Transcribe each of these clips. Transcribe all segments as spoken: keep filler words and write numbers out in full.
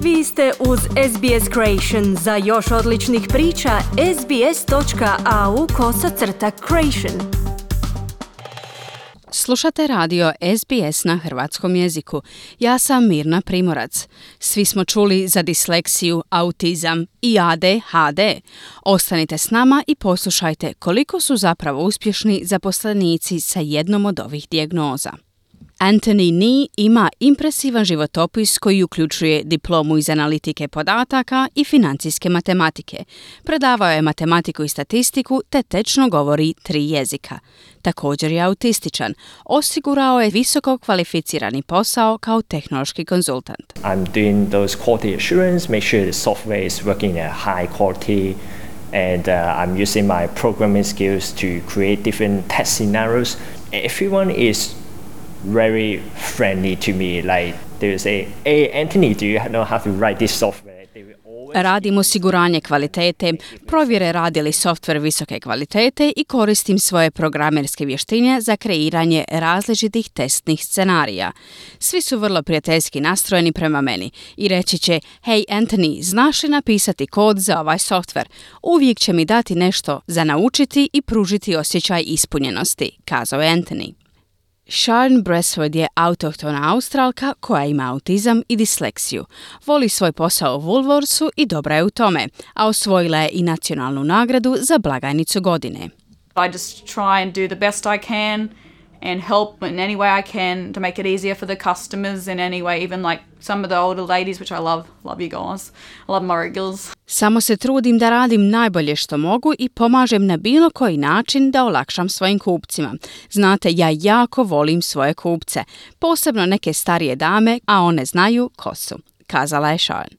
Vi ste uz S B S Creation. Za još odličnih priča, sbs.au kosacrta creation. Slušate radio S B S na hrvatskom jeziku. Ja sam Mirna Primorac. Svi smo čuli za disleksiju, autizam i A D H D. Ostanite s nama i poslušajte koliko su zapravo uspješni zaposlenici sa jednom od ovih dijagnoza. Anthony Nee ima impresivan životopis koji uključuje diplomu iz analitike podataka i financijske matematike. Predavao je matematiku i statistiku te tečno govori tri jezika. Također je autističan. Osigurao je visoko kvalificirani posao kao tehnološki konzultant. I'm doing those quality assurance, make sure the software is working at high quality, and uh, I'm using my programming skills to create different test scenarios. Everyone is very friendly to me. Like they will say, "Hey Anthony, do you know how to write this software?" Radim osiguranje kvalitete, provjere radi li softver visoke kvalitete i koristim svoje programerske vještine za kreiranje različitih testnih scenarija. Svi su vrlo prijateljski nastrojeni prema meni i reći će: "Hej Anthony, znaš li napisati kod za ovaj softver?" Uvijek će mi dati nešto za naučiti i pružiti osjećaj ispunjenosti, kazao je Anthony. Sharon Bresswood je autohtona Australka koja ima autizam i disleksiju. Voli svoj posao u Woolworthsu i dobra je u tome, a osvojila je i nacionalnu nagradu za blagajnicu godine. I just try and do the best I can and help in any way I can to make it easier for the customers in any way, even like some of the older ladies, which I love. Love you guys. I love my regulars. Samo se trudim da radim najbolje što mogu i pomažem na bilo koji način da olakšam svojim kupcima. Znate, ja jako volim svoje kupce, posebno neke starije dame, a one znaju ko su, kazala je Sharon.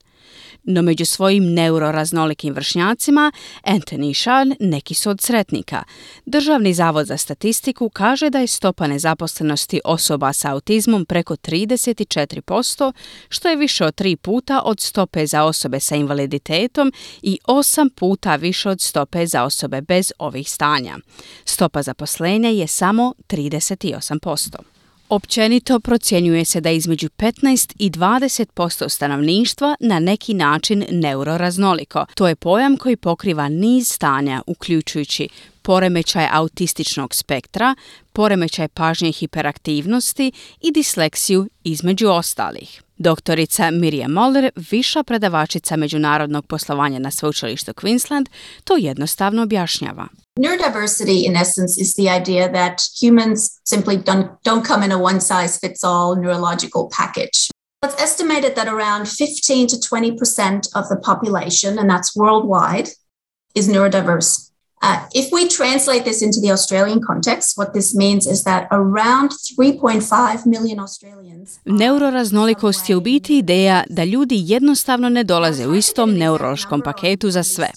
No među svojim neuroraznolikim vršnjacima, Anthony i Sharon neki su od sretnika. Državni zavod za statistiku kaže da je stopa nezaposlenosti osoba sa autizmom preko trideset četiri posto, što je više od tri puta od stope za osobe sa invaliditetom i osam puta više od stope za osobe bez ovih stanja. Stopa zaposlenja je samo trideset osam posto. Općenito procjenjuje se da između petnaest i dvadeset posto stanovništva na neki način neuroraznoliko. To je pojam koji pokriva niz stanja, uključujući poremećaj autističnog spektra, poremećaj pažnje i hiperaktivnosti i disleksiju između ostalih. Doktorica Miriam Moller, viša predavačica međunarodnog poslovanja na sveučilištu Queensland, to jednostavno objašnjava. Neurodiversity, in essence, is the idea that humans simply don't, don't come in a one-size-fits-all neurological package. It's estimated that around fifteen to twenty percent of the population, and that's worldwide, is neurodiverse. Uh, if we translate this into the Australian context, what this means is that around three point five million Australians... Neuroraznolikost je u biti ideja da ljudi jednostavno ne dolaze u istom neurološkom paketu za sve.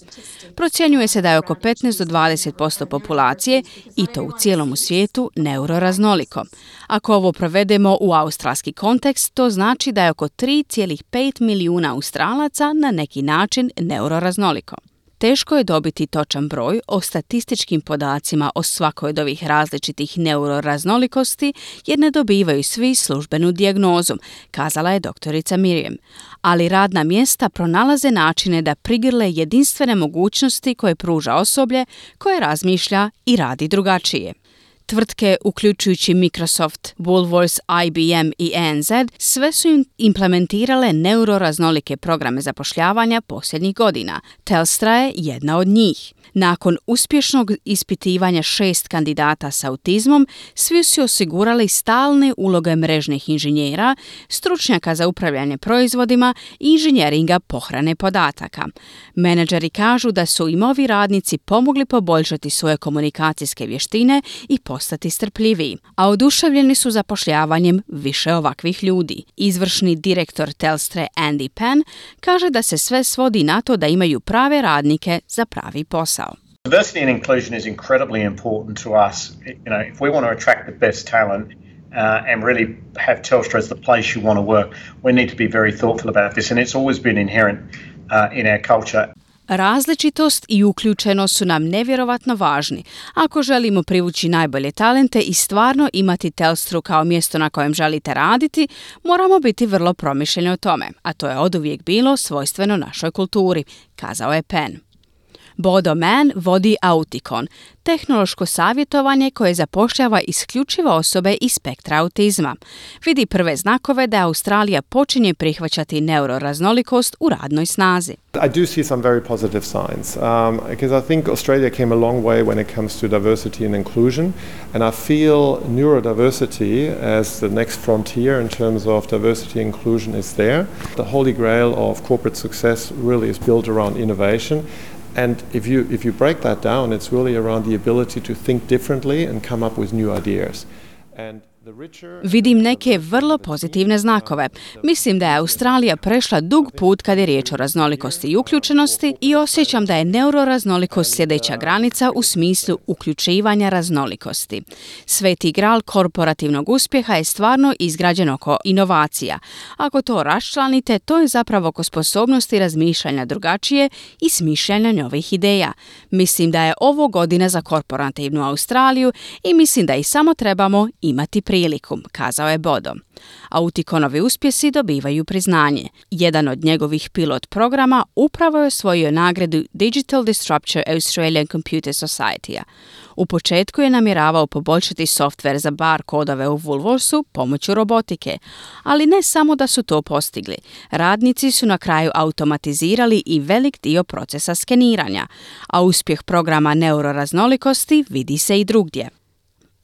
Procjenjuje se da je oko petnaest do dvadeset posto populacije, i to u cijelom svijetu, neuroraznoliko. Ako ovo provedemo u australski kontekst, to znači da je oko tri zarez pet milijuna Australaca na neki način neuroraznoliko. Teško je dobiti točan broj o statističkim podacima o svakoj od ovih različitih neuroraznolikosti jer ne dobivaju svi službenu dijagnozu, kazala je doktorica Miriam. Ali radna mjesta pronalaze načine da prigrle jedinstvene mogućnosti koje pruža osoblje koje razmišlja i radi drugačije. Tvrtke, uključujući Microsoft, Woolworths, I B M i A N Z, sve su im implementirale neuroraznolike programe zapošljavanja posljednjih godina. Telstra je jedna od njih. Nakon uspješnog ispitivanja šest kandidata s autizmom, svi su osigurali stalne uloge mrežnih inženjera, stručnjaka za upravljanje proizvodima i inženjeringa pohrane podataka. Menadžeri kažu da su im ovi radnici pomogli poboljšati svoje komunikacijske vještine i postati strpljiviji, a oduševljeni su zapošljavanjem više ovakvih ljudi. Izvršni direktor Telstre Andy Penn kaže da se sve svodi na to da imaju prave radnike za pravi posao. Diversity and inclusion is incredibly important to us. You know, if we want to attract the best talent uh, and really have Telstra as the place you want to work, we need to be very thoughtful about this, and it's always been inherent uh, in our culture. Različitost i uključenost su nam nevjerovatno važni. Ako želimo privući najbolje talente i stvarno imati Telstru kao mjesto na kojem želite raditi, moramo biti vrlo promišljeni o tome, a to je oduvijek bilo svojstveno našoj kulturi, kazao je Penn. Bodo Mann vodi Auticon, tehnološko savjetovanje koje zapošljava isključivo osobe iz spektra autizma. Vidi prve znakove da Australija počinje prihvaćati neuroraznolikost u radnoj snazi. I do see some very positive signs um, because I think Australia came a long way when it comes to diversity and inclusion, and I feel neurodiversity as the next frontier in terms of diversity and inclusion is there. The holy grail of corporate success really is built around innovation. And if you if you break that down, it's really around the ability to think differently and come up with new ideas. And Vidim neke vrlo pozitivne znakove. Mislim da je Australija prešla dug put kad je riječ o raznolikosti i uključenosti i osjećam da je neuroraznolikost sljedeća granica u smislu uključivanja raznolikosti. Sveti gral korporativnog uspjeha je stvarno izgrađen oko inovacija. Ako to raščlanite, to je zapravo oko sposobnosti razmišljanja drugačije i smišljanja novih ideja. Mislim da je ovo godina za korporativnu Australiju i mislim da i samo trebamo imati priliku, kazao je Bodo. Auticonovi uspjesi dobivaju priznanje. Jedan od njegovih pilot programa upravo je osvojio nagradu Digital Disruptor Australian Computer Society-a. U početku je namjeravao poboljšati softver za bar kodove u Woolworthsu pomoću robotike, ali ne samo da su to postigli. Radnici su na kraju automatizirali i velik dio procesa skeniranja, a uspjeh programa neuroraznolikosti vidi se i drugdje.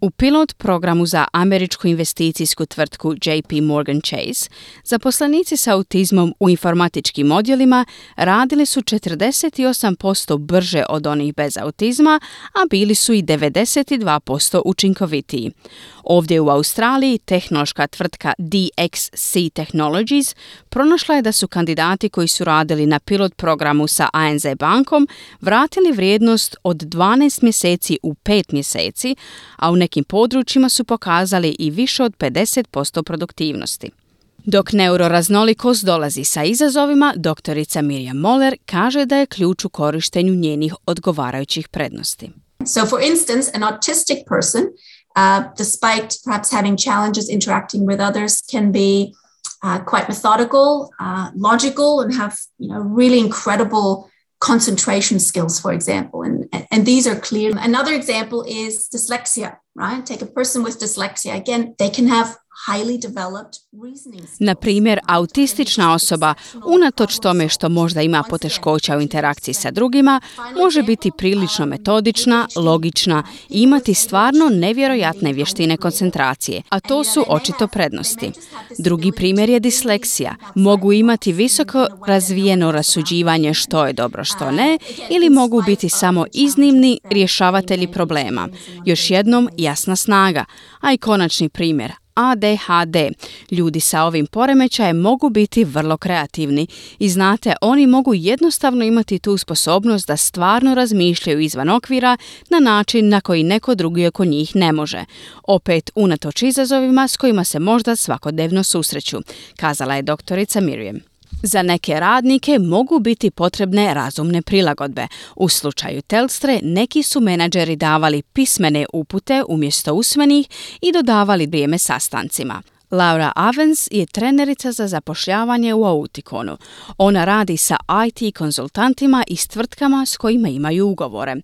U pilot programu za američku investicijsku tvrtku J P Morgan Chase zaposlenici s autizmom u informatičkim odjelima radili su četrdeset osam posto brže od onih bez autizma, a bili su i devedeset dva posto učinkovitiji. Ovdje u Australiji tehnološka tvrtka D X C Technologies pronašla je da su kandidati koji su radili na pilot programu sa A N Z bankom vratili vrijednost od dvanaest mjeseci u pet mjeseci, a u nekim područjima su pokazali i više od pedeset posto produktivnosti. Dok neuroraznolikost dolazi sa izazovima, doktorica Miriam Moller kaže da je ključ u korištenju njenih odgovarajućih prednosti. So for instance, an autistic person, uh, despite perhaps having challenges interacting with others, can be uh, quite methodical, uh, logical, and have, you know, really incredible concentration skills, for example, and, and these are clear. Another example is dyslexia, right? Take a person with dyslexia. Again, they can have highly developed reasoning skills. Na primjer, autistična osoba, unatoč tome što možda ima poteškoća u interakciji sa drugima, može biti prilično metodična, logična i imati stvarno nevjerojatne vještine koncentracije, a to su očito prednosti. Drugi primjer je disleksija. Mogu imati visoko razvijeno rasuđivanje što je dobro, što ne, ili mogu biti samo iznimni rješavatelji problema. Još jednom, jasna snaga. A i konačni primjer, A D H D. Ljudi sa ovim poremećajem mogu biti vrlo kreativni i znate, oni mogu jednostavno imati tu sposobnost da stvarno razmišljaju izvan okvira na način na koji neko drugi oko njih ne može. Opet unatoč izazovima s kojima se možda svakodnevno susreću, kazala je doktorica Miriam. Za neke radnike mogu biti potrebne razumne prilagodbe. U slučaju Telstre neki su menadžeri davali pismene upute umjesto usmenih i dodavali vrijeme sastancima. Laura Avens je trenerica za zapošljavanje u Auticonu. Ona radi sa I T konzultantima i s tvrtkama s kojima imaju ugovore.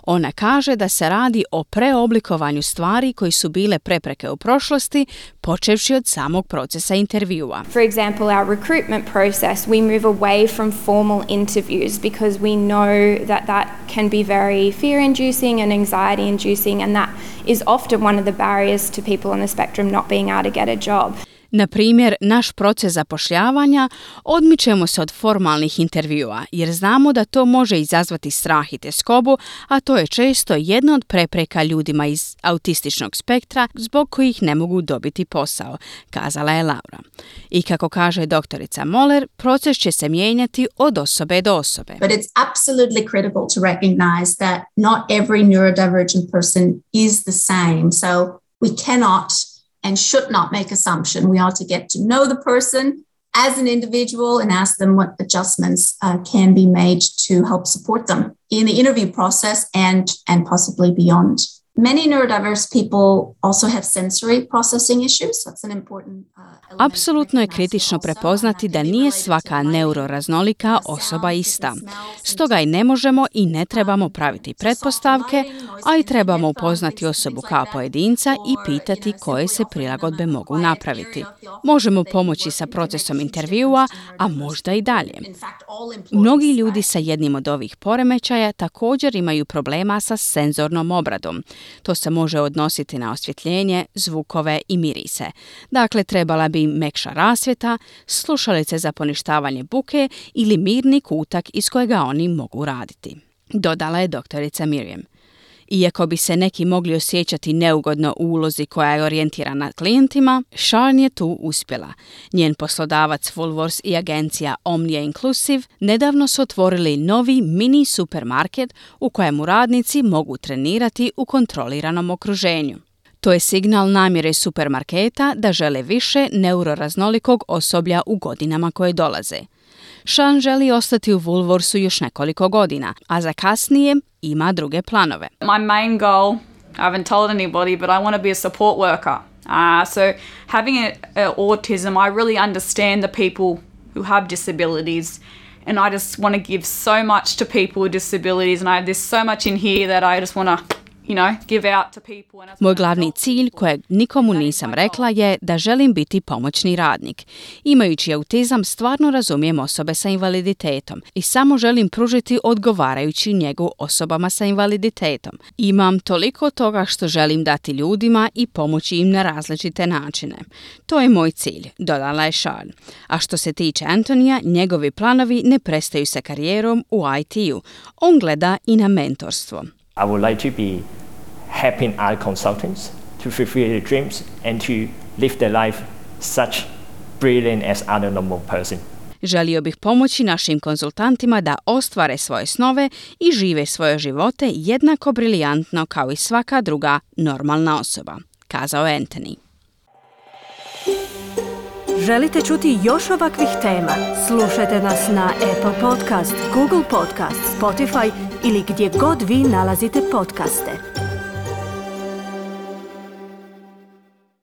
Ona kaže da se radi o preoblikovanju stvari koji su bile prepreke u prošlosti, počevši od samog procesa intervjua. For example, our recruitment process, we move away from formal interviews because we know that that can be very fear-inducing and anxiety-inducing, and that is often one of the barriers to people on the spectrum not being able to get a job. Na primjer, naš proces zapošljavanja odmičemo se od formalnih intervjua jer znamo da to može izazvati strah i tjeskobu, a to je često jedna od prepreka ljudima iz autističnog spektra zbog kojih ne mogu dobiti posao, kazala je Laura. I kako kaže doktorica Moller, proces će se mijenjati od osobe do osobe. But it's absolutely critical to recognize that not every neurodivergent person is the same. So we cannot and should not make assumption. We ought to get to know the person as an individual and ask them what adjustments uh, can be made to help support them in the interview process and, and possibly beyond. Many neurodiverse people also have sensory processing issues. That's an important uh, element. Apsolutno je kritično prepoznati da nije svaka neuroraznolika osoba ista. Stoga i ne možemo i ne trebamo praviti pretpostavke, a i trebamo upoznati osobu kao pojedinca i pitati koje se prilagodbe mogu napraviti. Možemo pomoći sa procesom intervjua, a možda i dalje. Mnogi ljudi sa jednim od ovih poremećaja također imaju problema sa senzornom obradom. To se može odnositi na osvjetljenje, zvukove i mirise. Dakle, trebala bi im mekša rasvjeta, slušalice za poništavanje buke ili mirni kutak iz kojega oni mogu raditi. Dodala je doktorica Miriam. Iako bi se neki mogli osjećati neugodno u ulozi koja je orijentirana klijentima, Sharon je tu uspjela. Njen poslodavac Woolworths i agencija Omnia Inclusive nedavno su otvorili novi mini supermarket u kojemu radnici mogu trenirati u kontroliranom okruženju. To je signal namjere supermarketa da žele više neuroraznolikog osoblja u godinama koje dolaze. Sharon želi ostati u Woolworthsu još nekoliko godina, a za kasnije ima druge planove. My main goal, I haven't told anybody, but I want to be a support worker. Uh, so having a, a autism, I really understand the people who have disabilities, and I just want to give so much to people with disabilities, and I have there's so much in here that I just want to, you know, give out to people. And Moj glavni cilj, kojeg nikomu nisam rekla, je da želim biti pomoćni radnik. Imajući autizam, stvarno razumijem osobe sa invaliditetom i samo želim pružiti odgovarajući njegu osobama sa invaliditetom. Imam toliko toga što želim dati ljudima i pomoći im na različite načine. To je moj cilj, dodala je Sharon. A što se tiče Antonija, njegovi planovi ne prestaju sa karijerom u I T-u. On gleda i na mentorstvo. I would like to be helping other consultants to fulfill their dreams and to live their life such brilliant as other normal person. Želio bih pomoći našim konzultantima da ostvare svoje snove i žive svoje živote jednako briljantno kao i svaka druga normalna osoba, kazao je Anthony. Želite čuti još ovakvih tema? Slušajte nas na Apple Podcast, Google Podcast, Spotify ili gdje god vi nalazite podcaste.